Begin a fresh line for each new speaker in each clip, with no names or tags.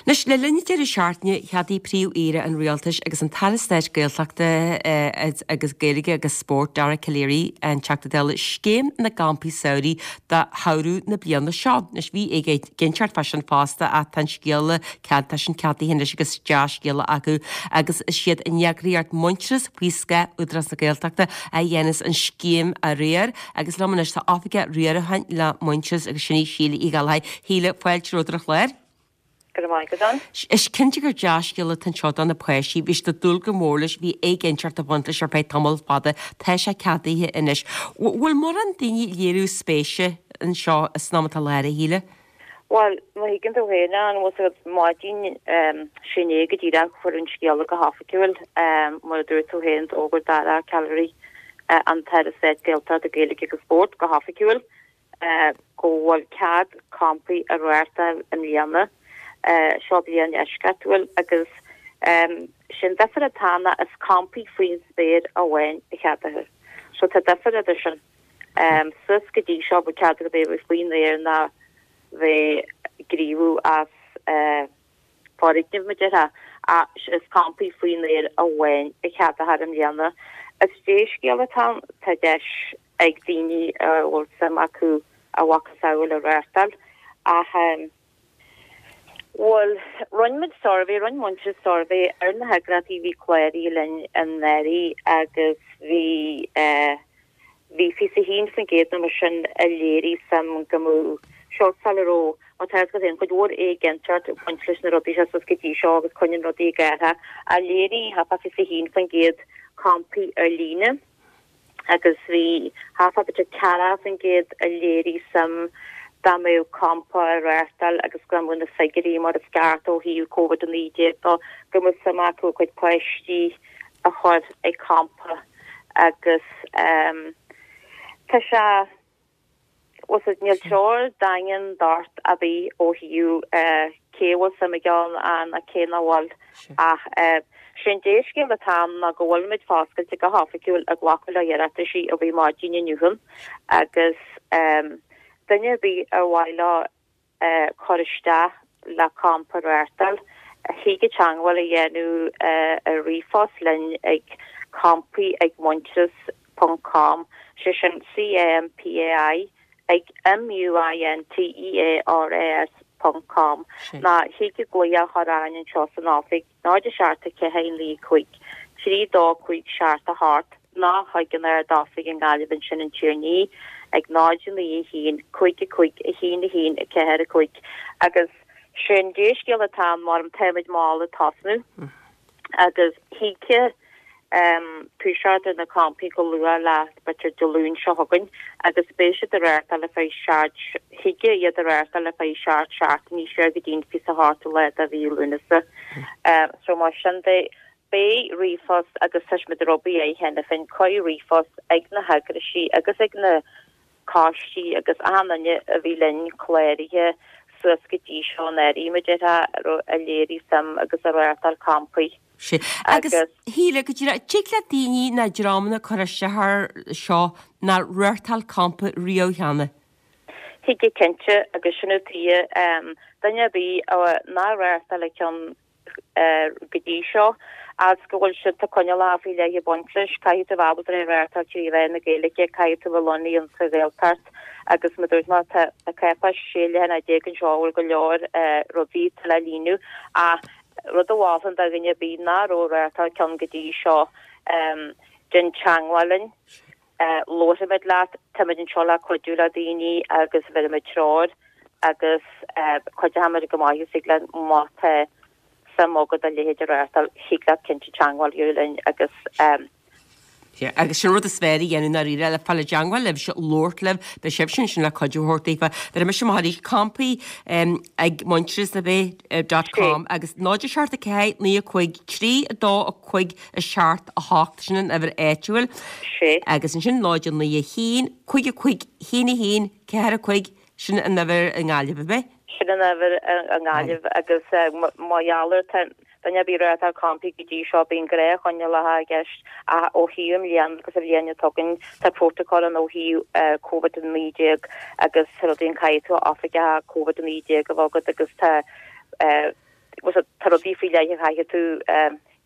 Anois, le linn an deireadh seachtaine, cheadaigh Príomh-Aoire an Rialtais agus an tAire Stáit Gaeltachta agus Gaeilge agus Spóirt, Dara Calleary, an Teachta Dála, Scéim na gCampaí Samhraidh do shamhradh na bliana seo. Anois, bhí éiginnteacht fá sin fosta ach tá an scéala, tá sin ceadaithe anois agus dea-scéala acu agus is iad an eagraíocht Muintearas faoi scáth Údarás na Gaeltachta a dhéanas an scéim a riar agus liom anois tá Oifigeach Riaracháin le Muintearas agus sin í Síle Uí Ghallchóir. Shíle, fáilte romhat ar an chlár.
Go raibh maith agat, Ann.
Is cinnte gur dea-scéala atá anseo do na páistí. Bhí siad ag dúil go mór leis, bhí éiginnteacht ag baint leis ar feadh tamall fada. Tá sé ceadaithe anois. Bhfuil mórán daoine ag léiriú spéise anseo san am atá i láthair, a Shíle?
Bhuel, má thuigeann tú féin, Ann, bhfuil a fhios agat, maidin sin é go díreach a fuair an scéala go hoifigiúil, mar a dúirt tú féin, d'fhógair Dara Calleary, an tAire Stáit Gaeltachta, Gaeilge agus Spóirt, go hoifigiúil. go bhfuil cead campaí a reáchtáil i mbliana. Seo bliain eisceachtúil agus sé'n difear atá ann ná is campaí faoin spéir amháin a cheadaítear. So tá difear idir sin. Suas go dtí seo bhí cead agat bheith faoin aer ná bheith ag gníomhú as foirgneamh, mar a déarfá, ach is campaí faoin aer amháin a cheadófar i mbliana. Is dea-scéal atá ann, tá deis ag daoine a bhfuil suim acu a mhacasamhail a reáchtáil ach bhuel, rinne muid suirbhé, rinne Muintearas suirbhé ar na heagraíochtaí a bhí cláraithe linn anuraidh agus bhí eh, Bhí 21% nó mar sin a léirigh suim go mbeadh seo sula raibh, má tá fhios agat féin, cuid mhór éiginnteacht ag baint leis na rudaí seo suas go dtí seo agus coinníonn rudaí ag athrú, a léirigh thart fá 21% campaí ar líne agus bhí thart fá b'fhéidir 40% a léirigh suim dá mbeadh campa á reáchtáil agus go mbeadh na figiúirí mar is ceart ó thaobh Covid-19 de, go mbeadh suim acu a gcuid páistí a chur ag campa agus tá sé, bhfuil fhios agat, níl treoir daingean docht ar bith ó thaobh cé a bhfuil suim aige ann ná cé nach bhfuil ach sé an dea-scéal atá ann ná go bhfuilimid foscailte go hoifigiúil ag glacadh le hiarrataisí ó bhí maidin inniu agus duine ar bith ar mhaith leo cur isteach le campa a reáchtáil, thig teagmháil a dhéanamh ar ríomhphost linn ag campaí ag muintearas ponc com, sé sin C-A-M-P-A-I ag M-U-I-N-T-E-A-R-A-S ponc com, nó thig glaoch a chur orainn anseo san oifig. 0 7 4 9 5 3 2 5 7 8 nó chuig an Ard-Oifig i nGaillimh ansin in Tír an Fhia ag 0 9 1 5 5 1 1 4 5 agus sé an dea-scéal atá ann mar táimid mall ag tosnú agus thig toiseacht ar na campaí go luath le b'fhéidir Dé Luain seo chugainn agus beidh siad á reáchtáil ar feadh seacht, thig iad a reáchtáil ar feadh 7 seachtainí siar go dtí an 28ú lá de mhí Lúnasa. So mar sin de, beidh ríomhphost agus tá muid ag obair air cheana féin, cuireadh ríomhphost ag na heagraisí agus ag na coistí agus achan duine a bhí linn cláraithe suas go dtí seo anuraidh, mar a déarfá, a léirigh suim agus a reáchtáil campaí.
Sea. Agus, a Shíle, go díreach, tig le daoine nó dreamanna cur isteach air seo nár reáchtáil campa riamh cheana?
Thig cinnte, agus sin an tuige, duine ar bith nár reáchtáil ceann go dtí seo, agus go bhfuil siad, tá coinníollacha faoi leith ag baint leis, caithfidh tú a bheith ábalta é a reáchtáil trí mheán na Gaeilge, caithfidh tú a bheith lonnaithe insa Ghaeltacht, agus mar a dúirt mé, tá cáipéis 16 leathanach anseo a bhfuil go leor rudaí atá le líonadh, ach rud a mholfainn do dhuine ar bith nach raibh ag reáchtáil ceann go dtí seo, déan teagmháil linn, labharfaimid leat, táimid anseo le cuidiú le daoine agus bheirfimid treoir agus cuideochaimid go maith is thig linn má tá suim agat a leithéid a reáchtáil, thig leat cinnte teagmháil a dhéanamh linn agus.
Sea, agus sin an rud is fearr a dhéanamh ndáiríre, le fáil i dteangmháil libhse, labhairt libh, beidh sibhse ansin le cuidiú a thabhairt daofa. Bhéarfaidh mise amach arís, campaí ag muintearas ab ea, dot com, agus 0 7 4 9 5 3 2 5 7 8, sin an uimhir áitiúil.
Sea.
Agus ansin 0 9 1 5 5 1 1 4 5, sin an uimhir i nGaillimh, ab ea?
Sin an uimhir i nGaillimh agus mar gheall ar tá duine ar bith ag reáchtáil campaí go dtí seo bíonn gnáthchoinníollacha i gceist ach ó thaobh i mbliana agus an bhliain atá chugainn tá protocol ann ó thaobh Covid-19 agus rudaí an caithfidh tú oifigeach Covid-19 a bheith agat agus tá. Tá rudaí faoi leith a chaithfidh tú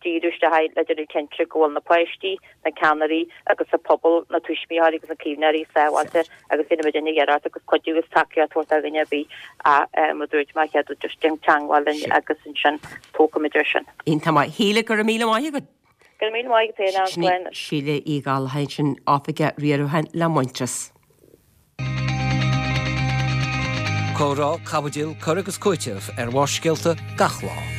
díriú isteach air le déanamh cinnte go bhfuil na páistí, na ceannairí agus an pobal, na tuismitheoirí agus na caomhnóirí sábháilte agus déanfaidh muid iarracht agus cuidiú agus tacaíocht a thabhairt do dhuine ar bith ach mar a dúirt mé chéad just déan teagmháil linn agus ansin tógfaimid air sin.
Iontach maith. Shíle, go raibh míle maith agat.
Go raibh míle maith agat féin, Ann.
Sin í Síle Uí Ghallchóir sin Oifigeach Riaracháin le Muintearas.
Comhrá, caibidil, cur agus cúiteamh ar Bharrscéalta gach lá.